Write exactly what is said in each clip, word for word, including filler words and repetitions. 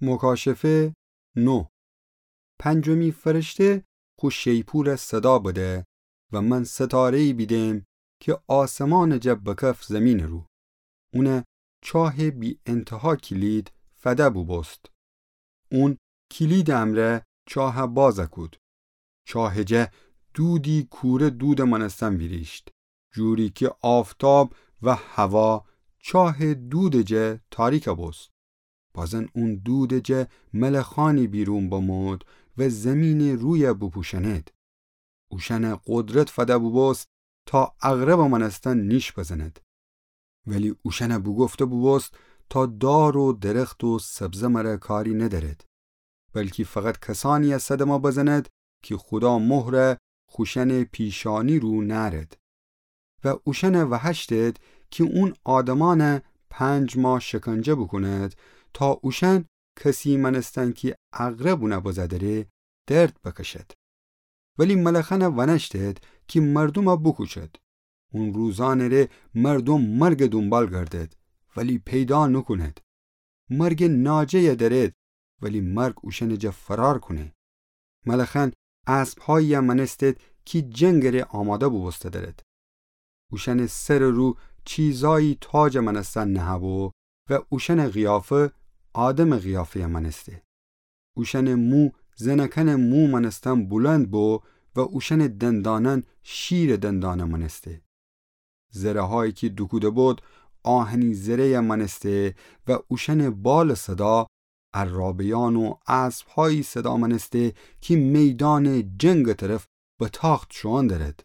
مکاشفه نه. پنجمی فرشته خو شیپورَ صدا بده و من ستاره‌یی بیدم کی آسمانٚ جا بکف زیمینٚ رو. اونَ چاهٚ بی‌انتها کلید فده بوبوست. اون کلیدٚ امرأ چاهَ بازَ کود. چاهٚ جا دودی کوره دودٚ مأنستن ویریشت، جوری کی آفتاب و هوا چاهٚ دودٚ جا تاریکَ بوست. بازن اون دودٚ جا ملخأنی بیرون بمود و زیمینٚ رویَ بوپوشأنید. اوشأنَ قدرت فده بوبوست تا عقربٚ مأنستن نیش بزند. ولی اوشأنَ بوگفته بوبوست تا دار و درخت و سبزه مره کاری ندأرد، بلکی فقط کسأنیَ صدمه بزند کی خودا مهرَ خوشأنٚ پیشانی رو نأرد. و اوشأنَ وهشتد کی اون آدمأنَ پنج ماه شکنجه بوکوند تا اوشأن کسی مأنستن کی عقرب اونَ بزه دأره درد بکشد. ولی ملخأنَ ونأشتد کی مردومَ بوکوشد. اون روزأنٚ ره مردوم مرگٚ دونبال گردد، ولی پیدا نوکوند. مرگٚ ناجه‌یَ دأرد، ولی مرگ اوشأنٚ جا فرار کونه. ملخأن اسبهایی‌یَ مأنستد کی جنگٚ ره آماده بوبوسته دأرد. اوشأنٚ سرٚ رو چیزایی تاجٚ مأنستن نهه‌بو و اوشأنٚ قیافه آدمٚ قیافه‌یَ مأنسته. اوشأنٚ مو زنکأنٚ مو مأنستن بلند بو و اوشأنٚ دندانأن شیرٚ دندانَ مأنسته. زره‌هایی کی دوکوده بود آهنی زره‌یَ مأنسته و اوشأنٚ بالٚ صدا عرابه‌یأن و اسبهایی صدا مأنسته کی میدانٚ جنگٚ طرف به تاخت شوئون دأرد.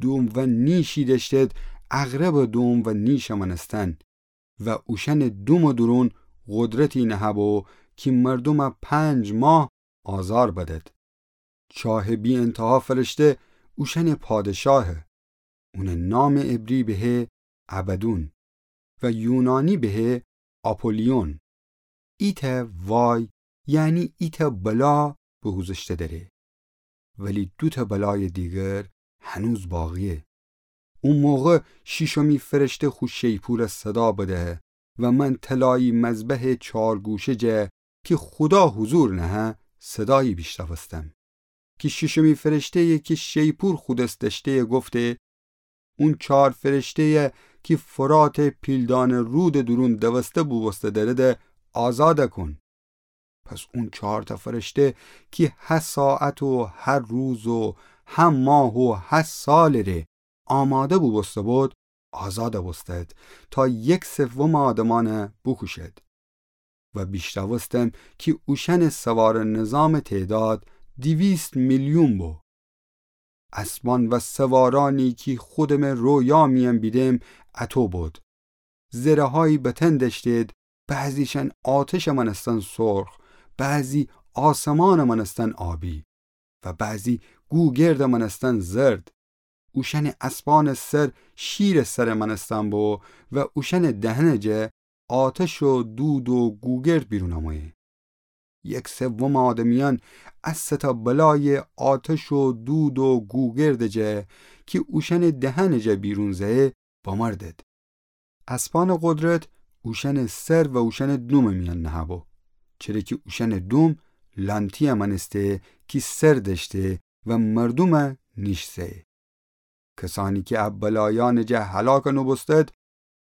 دوم و نیشی دأشتد عقربٚ دوم و نیشٚ مأنستن و اوشأنٚ دومٚ دورون قدرتی نهه‌بو کی مردومَ پنج ماه آزار بدد. چاهٚ بی‌انتها فرشته اوشأنٚ پادشاهه. اونٚ نامٚ عبری بهه ابدون و یونانی بهه آپولیون. ایتأ وای، یعنی ایتأ بلا بوگوذشته دأره. ولی دوتأ بلایٚ دیگر هنوز باقیه. او موقع شیشمی فرشته خو شیپورَ صدا بده و من طلایی مذبحٚ چارگوشه جا کی خودا حضور نهه صدایی بیشنوستم. کی شیشمی فرشته‌یی کی شیپور خو دس دأشته‌یی گفته، اون چار فرشته‌یی کی فراتٚ پیلدانٚ رودٚ دورون دوسته بوبوسته دأرده آزادَ کون. پس اون چارتأ فرشته کی هه ساعت و هه روز و هه ماه و هه سالٚ ره آماده بوبوسته بود، آزادَ بوستد تا یک سومٚ آدمأنَ بوکوشد. و بیشنوستم کی اوشأنٚ سوارٚ نظامٚ تعداد دیویست میلیون بو. اسبأن و سوارأنی کی خودمٚ رویا میأن بیدم اطو بود. زره‌هایی به تن دأشتید، بعضیشأن آتشٚ مأنستن سرخ، بعضی آسمانٚ مأنستن آبی و بعضی گوگردٚ مأنستن زرد. اوشأنٚ اسبأنٚ سر شیرٚ سرٚ مأنستن بو و اوشأنٚ دهنٚ جا آتش و دود و گوگرد بیرون آمویی. یک سومٚ آدمیأن ا سه‌تأ بلایٚ آتش و دود و گوگردٚ جا کی اوشأنٚ دهنٚ جا بیرون زه‌یی بمردد. اسبأنٚ قدرت اوشأنٚ سر و اوشأنٚ دومٚ میأن نهه‌بو، چره کی اوشأنٚ دوم لأنتی‌یٚ مأنسته کی سر دأشته و مردومَ نیش زه‌یی. کسأنی کی ا بلایأنٚ جا هلاکَ نوبوستد،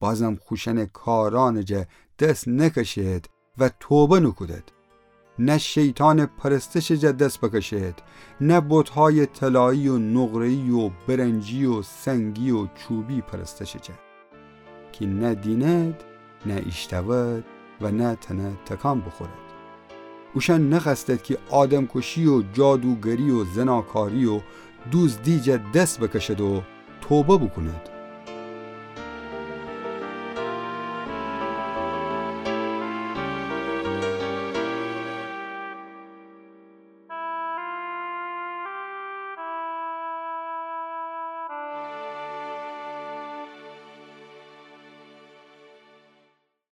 بازم خوشأنٚ کارأنٚ جا دس نکشید و توبه نوکودد. نه شیطانٚ پرستشٚ جا دس بکشید، نه بتهایٚ طلایی و نقره‌یی و برنجی و سنگی و چوبی پرستشٚ جا. کی نه دینید، نه ایشتوید و نه تأنید تکان بوخورید. اوشأن نخوأستید کی آدمکشی و جادوگری و زناکاری و دوزدی جا دس بکشید و توبه بوکونید.